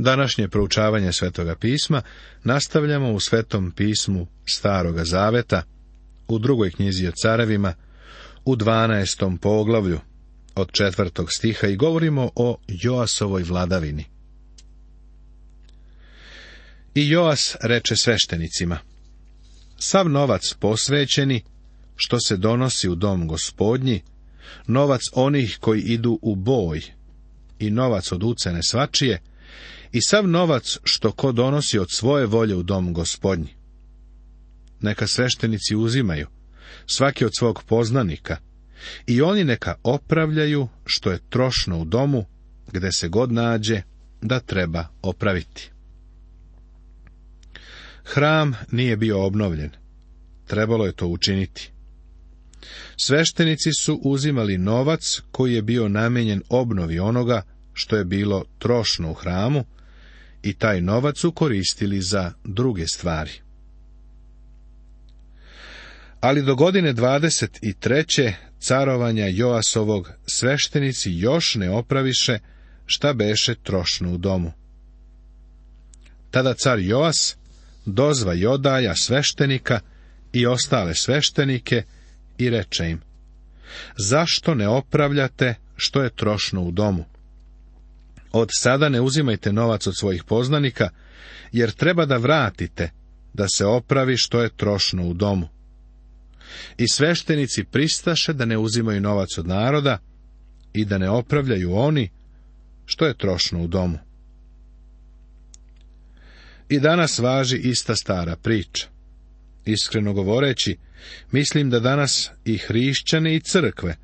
Današnje proučavanje Svetoga pisma nastavljamo u Svetom pismu Staroga zaveta, u 2. knjizi o carevima, u 12. poglavlju, od 4. stiha i govorimo o Joasovoj vladavini. I Joas reče sveštenicima: sav novac posvećeni, što se donosi u dom Gospodnji, novac onih koji idu u boj, i novac od ucene svačije, i sav novac što ko donosi od svoje volje u dom Gospodnji. Neka sveštenici uzimaju, svaki od svog poznanika, i oni neka opravljaju što je trošno u domu, gde se god nađe da treba opraviti. Hram nije bio obnovljen. Trebalo je to učiniti. Sveštenici su uzimali novac koji je bio namijenjen obnovi onoga što je bilo trošno u hramu i taj novac su koristili za druge stvari. Ali do godine 23. carovanja Joasovog sveštenici još ne opraviše šta beše trošno u domu. Tada car Joas dozva Jodaja sveštenika i ostale sveštenike i reče im: zašto ne opravljate što je trošno u domu? Od sada ne uzimajte novac od svojih poznanika, jer treba da vratite, da se opravi što je trošno u domu. I sveštenici pristaše da ne uzimaju novac od naroda i da ne opravljaju oni što je trošno u domu. I danas važi ista stara priča. Iskreno govoreći, mislim da danas i hrišćani i crkve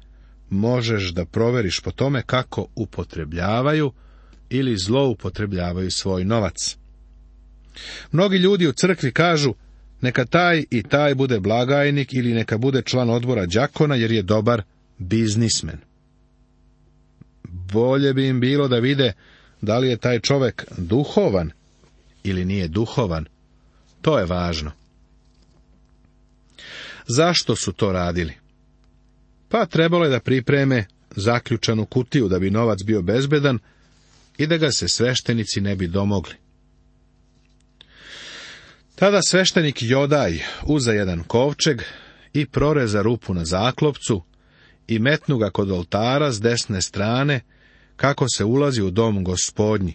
možeš da proveriš po tome kako upotrebljavaju ili zloupotrebljavaju svoj novac. Mnogi ljudi u crkvi kažu: neka taj i taj bude blagajnik ili neka bude član odbora đakona jer je dobar biznismen. Bolje bi im bilo da vide da li je taj čovek duhovan ili nije duhovan. To je važno. Zašto su to radili? Pa trebalo je da pripreme zaključanu kutiju da bi novac bio bezbedan i da ga se sveštenici ne bi domogli. Tada sveštenik Jodaj uza jedan kovčeg i proreza rupu na zaklopcu i metnu ga kod oltara s desne strane, kako se ulazi u dom Gospodnji.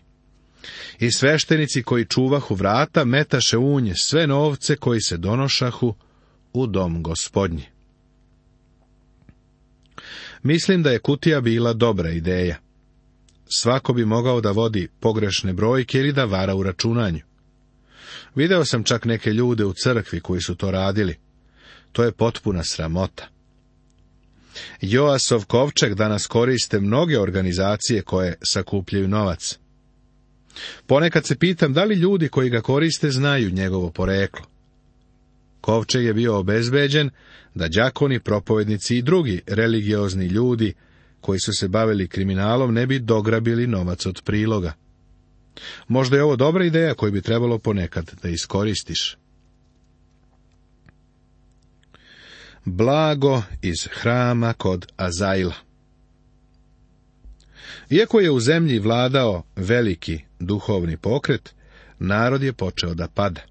I sveštenici koji čuvahu vrata metaše u nje sve novce koji se donošahu u dom Gospodnji. Mislim da je kutija bila dobra ideja. Svako bi mogao da vodi pogrešne brojke ili da vara u računanju. Video sam čak neke ljude u crkvi koji su to radili. To je potpuna sramota. Joasov kovčeg danas koriste mnoge organizacije koje sakupljaju novac. Ponekad se pitam da li ljudi koji ga koriste znaju njegovo poreklo. Kovčeg je bio obezbeđen da đakoni, propovednici i drugi religiozni ljudi koji su se bavili kriminalom ne bi dograbili novac od priloga. Možda je ovo dobra ideja koju bi trebalo ponekad da iskoristiš. Blago iz hrama kod Azaila. Iako je u zemlji vladao veliki duhovni pokret, narod je počeo da pada.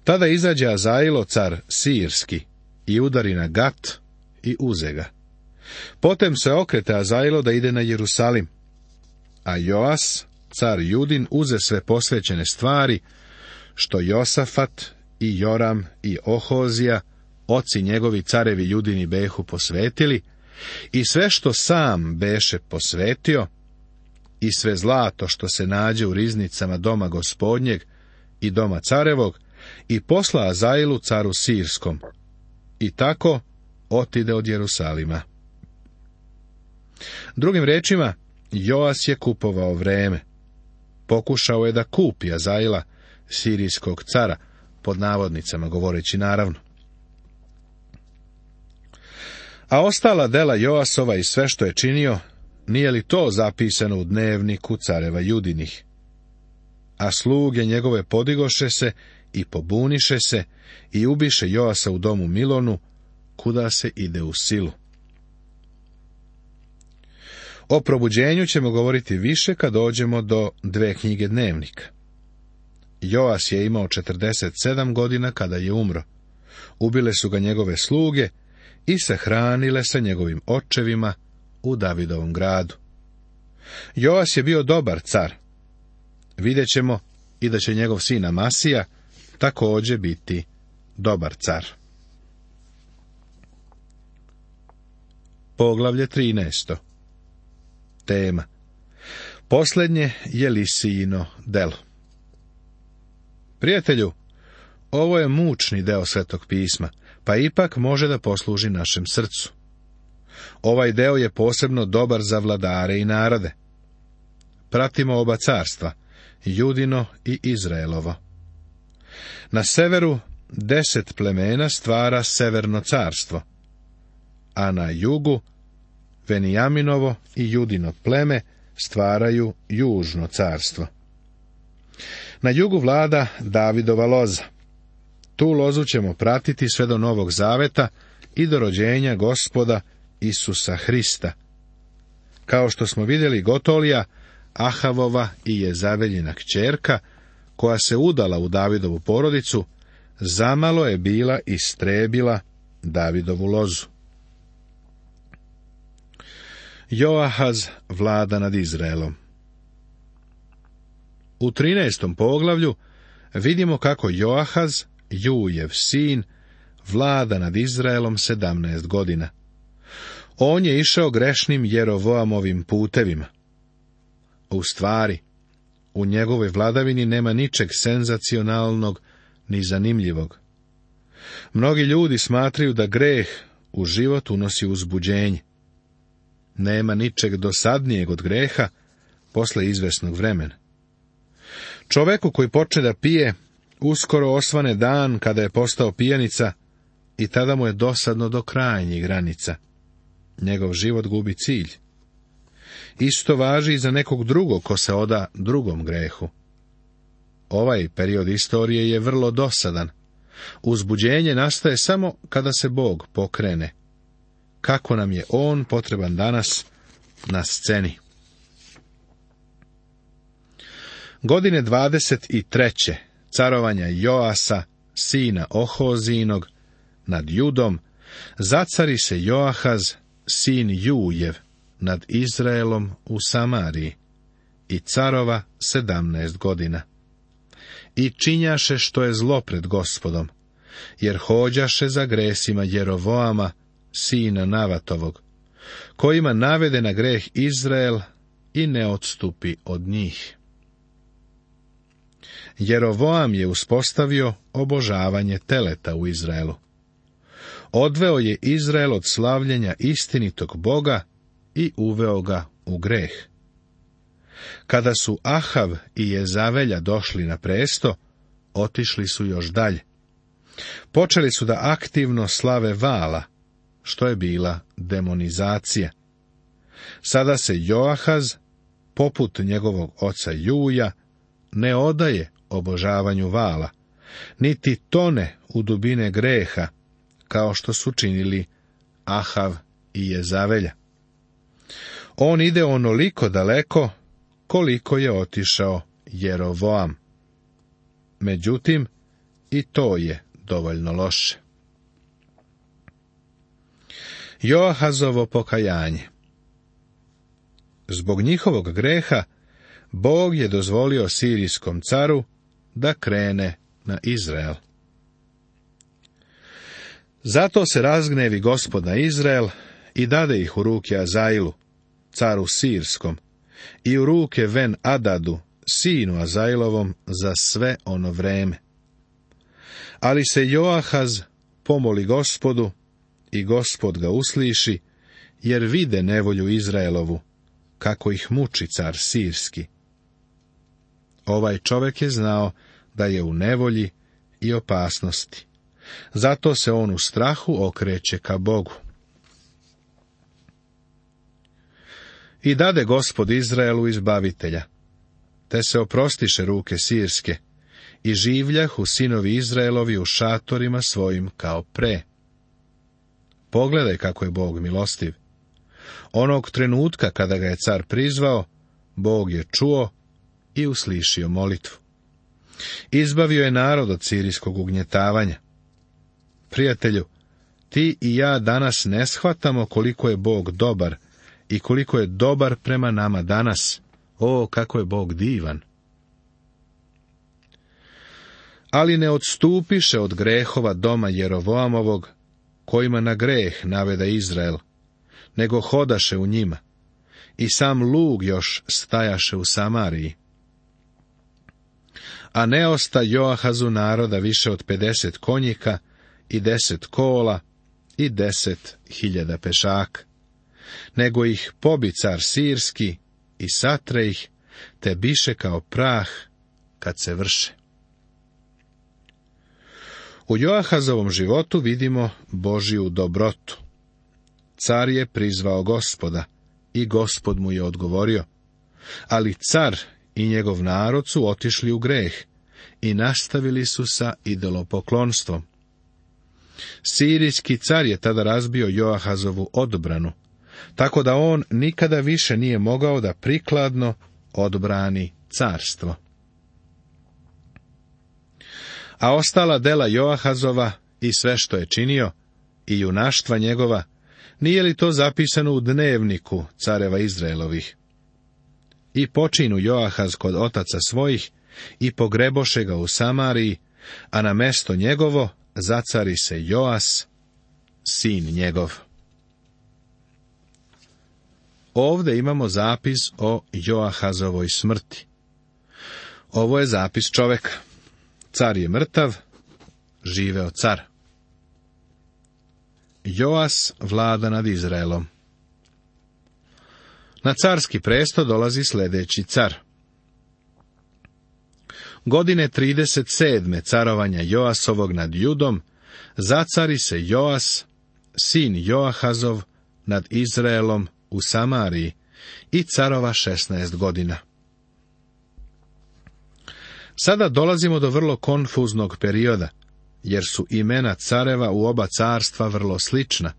Tada izađe Azailo, car Sirski, i udari na Gat i uze ga. Potem se okrete Azailo da ide na Jerusalim, a Joas, car Judin, uze sve posvećene stvari, što Josafat i Joram i Ohozija, oci njegovi carevi Judini behu posvetili, i sve što sam beše posvetio, i sve zlato što se nađe u riznicama doma Gospodnjeg i doma carevog, i posla Azailu caru Sirskom, i tako otide od Jerusalima. Drugim rečima, Joas je kupovao vreme. Pokušao je da kupi Azaila, sirijskog cara, pod navodnicama govoreći naravno. A ostala dela Joasova i sve što je činio, nije li to zapisano u dnevniku careva Judinih? A sluge njegove podigoše se i pobuniše se i ubiše Joasa u domu Milonu, kuda se ide u silu. O probuđenju ćemo govoriti više kad dođemo do 2 knjige dnevnika. Joas je imao 47 godina kada je umro. Ubile su ga njegove sluge i sahranile sa njegovim očevima u Davidovom gradu. Joas je bio dobar car. Vidjet ćemo i da će njegov sin Amasija također biti dobar car. Poglavlje 13. Tema: Posljednje je Lisijino delo. Prijatelju, ovo je mučni deo Svetog pisma, pa ipak može da posluži našem srcu. Ovaj deo je posebno dobar za vladare i narode. Pratimo oba carstva, Judino i Izraelovo. Na severu 10 plemena stvara severno carstvo, a na jugu Venijaminovo i Judino pleme stvaraju južno carstvo. Na jugu vlada Davidova loza. Tu lozu ćemo pratiti sve do Novog Zaveta i do rođenja Gospoda Isusa Hrista. Kao što smo vidjeli, Gotolija, Ahavova i Jezaveljina kćerka, koja se udala u Davidovu porodicu, zamalo je bila istrebila Davidovu lozu. Joahaz vlada nad Izraelom. U 13. poglavlju vidimo kako Joahaz, Jujev sin, vlada nad Izraelom 17 godina. On je išao grešnim Jerovoamovim putevima. U stvari, u njegovoj vladavini nema ničeg senzacionalnog ni zanimljivog. Mnogi ljudi smatraju da greh u život unosi uzbuđenje. Nema ničeg dosadnijeg od greha posle izvesnog vremena. Čoveku koji počne da pije, uskoro osvane dan kada je postao pijanica i tada mu je dosadno do krajnjih granica. Njegov život gubi cilj. Isto važi i za nekog drugog ko se oda drugom grehu. Ovaj period istorije je vrlo dosadan. Uzbuđenje nastaje samo kada se Bog pokrene. Kako nam je On potreban danas na sceni. Godine 23. carovanja Joasa, sina Ohozinog, nad Judom, zacari se Joahaz, sin Jujev, nad Izraelom u Samariji, i carova 17 godina. I činjaše što je zlo pred Gospodom, jer hođaše za gresima Jerovoama, sina Navatovog, kojima navede na greh Izrael i ne odstupi od njih. Jerovoam je uspostavio obožavanje teleta u Izraelu. Odveo je Izrael od slavljenja istinitog Boga i uveo ga u greh. Kada su Ahav i Jezavelja došli na presto, otišli su još dalje. Počeli su da aktivno slave Vala, što je bila demonizacija. Sada se Joahaz, poput njegovog oca Juja, ne odaje obožavanju Vala, niti tone u dubine greha, kao što su činili Ahav i Jezavelja. On ide onoliko daleko, koliko je otišao Jerovoam. Međutim, i to je dovoljno loše. Joahazovo pokajanje. Zbog njihovog greha, Bog je dozvolio sirijskom caru da krene na Izrael. Zato se razgnevi Gospod na Izrael i dade ih u ruke Azailu, caru sirskom, i u ruke Ben Adadu, sinu Azailovom, za sve ono vreme. Ali se Joahaz pomoli Gospodu i Gospod ga usliši, jer vide nevolju Izraelovu, kako ih muči car sirski. Ovaj čovjek je znao da je u nevolji i opasnosti. Zato se on u strahu okreće ka Bogu. I dade Gospod Izraelu izbavitelja, te se oprostiše ruke sirske, i življahu sinovi Izraelovi u šatorima svojim kao pre. Pogledaj kako je Bog milostiv. Onog trenutka kada ga je car prizvao, Bog je čuo i uslišio molitvu. Izbavio je narod od sirijskog ugnjetavanja. Prijatelju, ti i ja danas ne shvatamo koliko je Bog dobar i koliko je dobar prema nama danas. O, kako je Bog divan! Ali ne odstupiše od grehova doma Jerovoamovog, kojima na greh navede Izrael, nego hodaše u njima, i sam lug još stajaše u Samariji. A ne osta Joahazu naroda više od 50 konjika i 10 kola i 10.000 pešaka, nego ih pobi car sirski i satre ih, te biše kao prah kad se vrše. U Joahazovom životu vidimo Božju dobrotu. Car je prizvao Gospoda i Gospod mu je odgovorio, ali car i njegov narod su otišli u greh i nastavili su sa idolopoklonstvom. Sirijski car je tada razbio Joahazovu odbranu, tako da on nikada više nije mogao da prikladno odbrani carstvo. A ostala dela Joahazova i sve što je činio, i junaštva njegova, nije li to zapisano u dnevniku careva Izraelovih? I počinu Joahaz kod otaca svojih, i pogreboše ga u Samariji, a na mesto njegovo zacari se Joas, sin njegov. Ovde imamo zapis o Joahazovoj smrti. Ovo je zapis čoveka. Car je mrtav, živeo car. Joas vlada nad Izraelom. Na carski presto dolazi sljedeći car. Godine 37. carovanja Joasovog nad Judom, zacari se Joas, sin Joahazov, nad Izraelom u Samariji i carova 16 godina. Sada dolazimo do vrlo konfuznog perioda, jer su imena careva u oba carstva vrlo slična,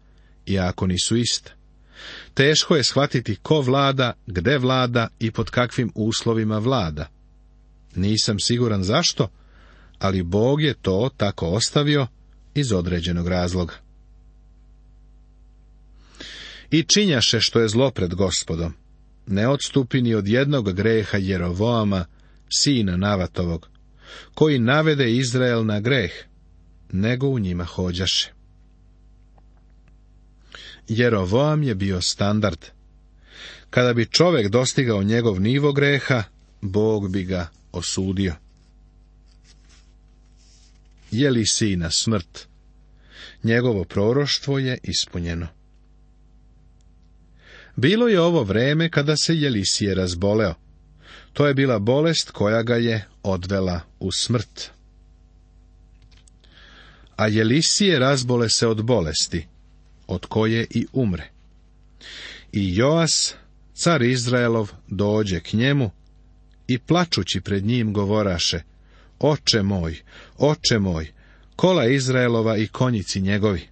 iako nisu ista. Teško je shvatiti ko vlada, gde vlada i pod kakvim uslovima vlada. Nisam siguran zašto, ali Bog je to tako ostavio iz određenog razloga. I činjaše što je zlo pred Gospodom, ne odstupi ni od jednog greha Jerovoama, sina Navatovog, koji navede Izrael na greh, nego u njima hođaše. Jerovoam je bio standard. Kada bi čovjek dostigao njegov nivo greha, Bog bi ga osudio. Je li sina smrt? Njegovo proroštvo je ispunjeno. Bilo je ovo vreme kada se Jelisije razboleo. To je bila bolest koja ga je odvela u smrt. A Jelisije razbole se od bolesti, od koje i umre. I Joas, car Izraelov, dođe k njemu i plačući pred njim govoraše: Oče moj, kola Izraelova i konjici njegovi.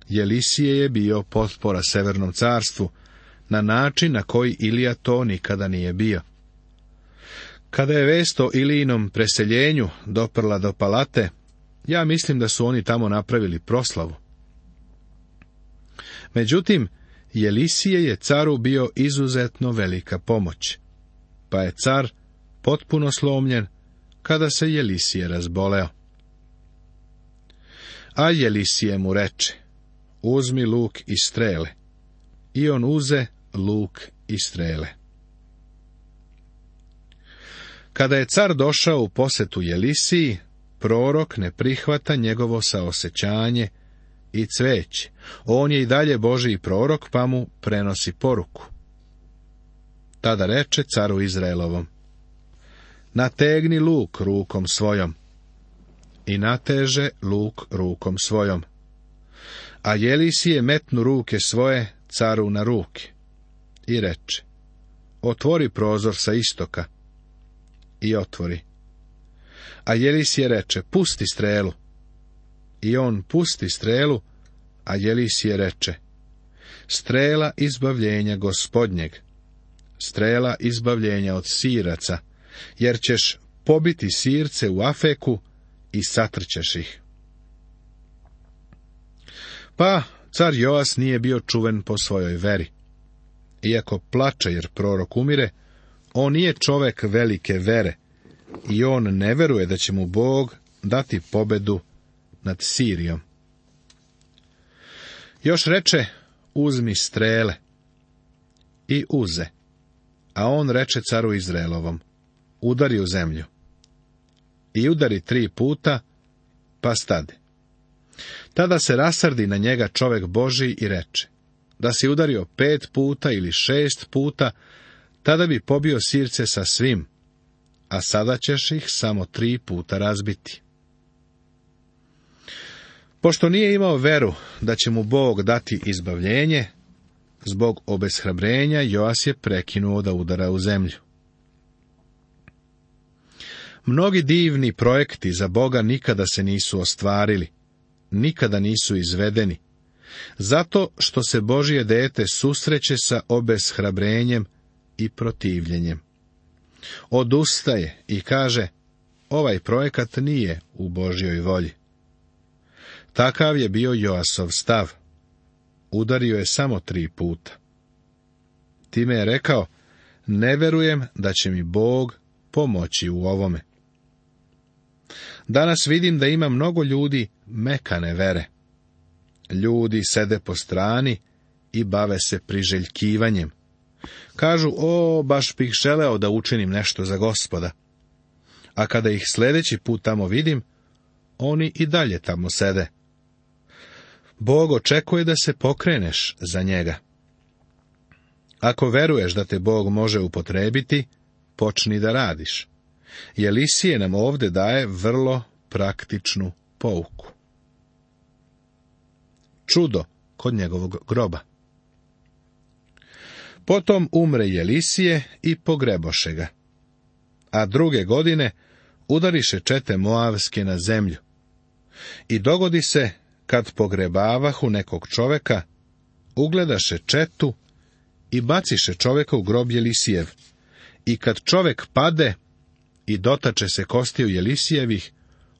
Jelisije je bio potpora Severnom carstvu, na način na koji Ilija to nikada nije bio. Kada je vest o Ilijinom preseljenju doprla do palate, ja mislim da su oni tamo napravili proslavu. Međutim, Jelisije je caru bio izuzetno velika pomoć, pa je car potpuno slomljen kada se Jelisije razboleo. A Jelisije mu reče: Uzmi luk i strele. I on uze luk i strele. Kada je car došao u posetu Jelisiji, prorok ne prihvata njegovo saosećanje i cveće. On je i dalje Božji prorok, pa mu prenosi poruku. Tada reče caru Izraelovom: Nategni luk rukom svojom. I nateže luk rukom svojom. A Jelisije metnu ruke svoje caru na ruke i reče: Otvori prozor sa istoka. I otvori. A Jelisije reče: Pusti strelu. I on pusti strelu, a Jelisije reče: strela izbavljenja Gospodnjeg, strela izbavljenja od Siraca, jer ćeš pobiti Sirce u Afeku i satrćeš ih. Pa car Joas nije bio čuven po svojoj veri. Iako plače jer prorok umire, on nije čovek velike vere i on ne veruje da će mu Bog dati pobedu nad Sirijom. Još reče, uzmi strele, i uze, a on reče caru Izraelovom, udari u zemlju. I udari 3 puta, pa stade. Tada se rasrdi na njega čovek Božji i reče, da si udario 5 puta ili 6 puta, tada bi pobio Sirce sa svim, a sada ćeš ih samo 3 puta razbiti. Pošto nije imao veru da će mu Bog dati izbavljenje, zbog obeshrabrenja Joas je prekinuo da udara u zemlju. Mnogi divni projekti za Boga nikada se nisu ostvarili, nikada nisu izvedeni, zato što se Božje dete susreće sa obeshrabrenjem i protivljenjem. Odustaje i kaže, ovaj projekat nije u Božjoj volji. Takav je bio Joasov stav. Udario je samo 3 puta. Time je rekao, ne verujem da će mi Bog pomoći u ovome. Danas vidim da ima mnogo ljudi mekane vere. Ljudi sede po strani i bave se priželjkivanjem. Kažu, baš bih želeo da učinim nešto za Gospoda. A kada ih sljedeći put tamo vidim, oni i dalje tamo sede. Bog očekuje da se pokreneš za njega. Ako veruješ da te Bog može upotrebiti, počni da radiš. Jelisije nam ovdje daje vrlo praktičnu pouku. Čudo kod njegovog groba. Potom umre Jelisije i pogreboše ga. A 2. godine udariše čete Moavske na zemlju. I dogodi se, kad pogrebavahu nekog čoveka, ugledaše četu i baciše čoveka u grob Jelisijev. I kad čovek pade i dotače se kostiju Jelisijevih,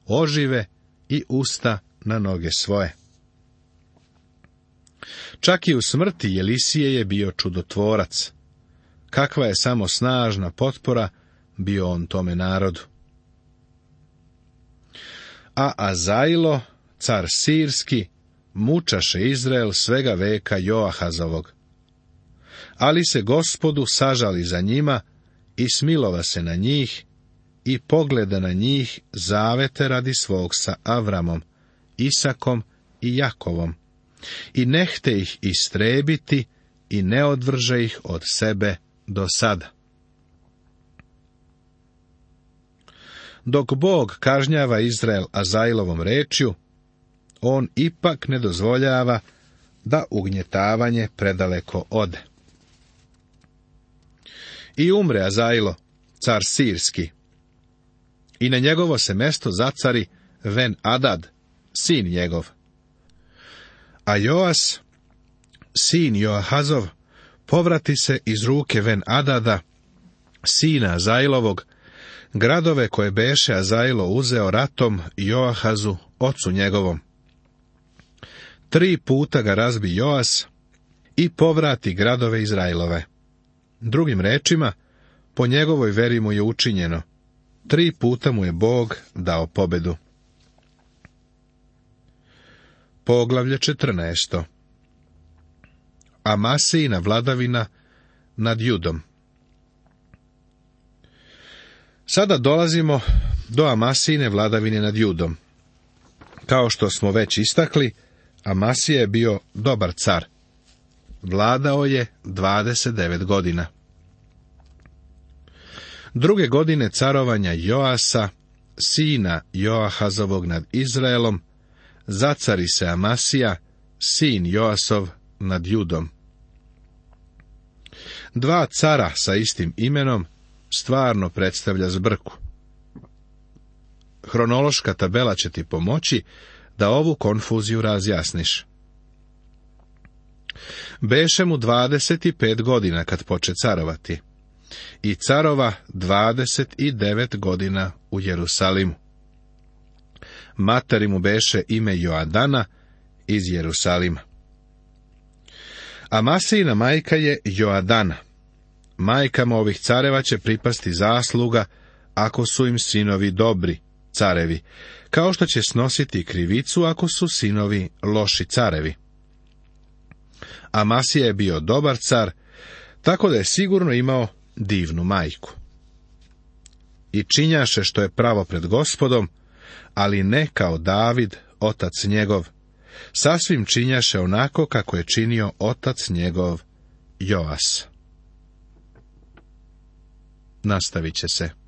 ožive i usta na noge svoje. Čak i u smrti Jelisije je bio čudotvorac. Kakva je samo snažna potpora bio on tome narodu. A Azailo, car Sirski, mučaše Izrael svega veka Joahazovog. Ali se Gospodu sažali za njima i smilova se na njih i pogleda na njih zavete radi svog sa Avramom, Isakom i Jakovom. I nehte ih istrebiti i ne odvrže ih od sebe do sada. Dok Bog kažnjava Izrael Azailovom rečju, on ipak ne dozvoljava da ugnjetavanje predaleko ode. I umre Azailo, car Sirski, i na njegovo se mesto zacari Ben Adad, sin njegov. A Joas, sin Joahazov, povrati se iz ruke Ben Adada, sina Azailovog, gradove koje beše Azailo uzeo ratom Joahazu, ocu njegovom. 3 puta ga razbi Joas i povrati gradove Izrailove. Drugim rečima, po njegovoj veri mu je učinjeno. 3 puta mu je Bog dao pobedu. Poglavlje 14. Amasijina vladavina nad Judom. Sada dolazimo do Amasijine vladavine nad Judom. Kao što smo već istakli, Amasija je bio dobar car. Vladao je 29 godina. 2. godine carovanja Joasa, sina Joahazovog nad Izraelom, zacari se Amasija, sin Joasov, nad Judom. 2 cara sa istim imenom stvarno predstavlja zbrku. Hronološka tabela će ti pomoći da ovu konfuziju razjasniš. Beše mu 25 godina kad poče carovati, i carova 29 godina u Jerusalimu. Materi mu beše ime Joadana iz Jerusalima. Amasijina majka je Joadana. Majkama ovih careva će pripasti zasluga, ako su im sinovi dobri carevi, kao što će snositi krivicu ako su sinovi loši carevi. Amasija je bio dobar car, tako da je sigurno imao divnu majku. I činjaše što je pravo pred Gospodom, ali ne kao David, otac njegov. Sasvim činjaše onako kako je činio otac njegov Joas. Nastavit će se.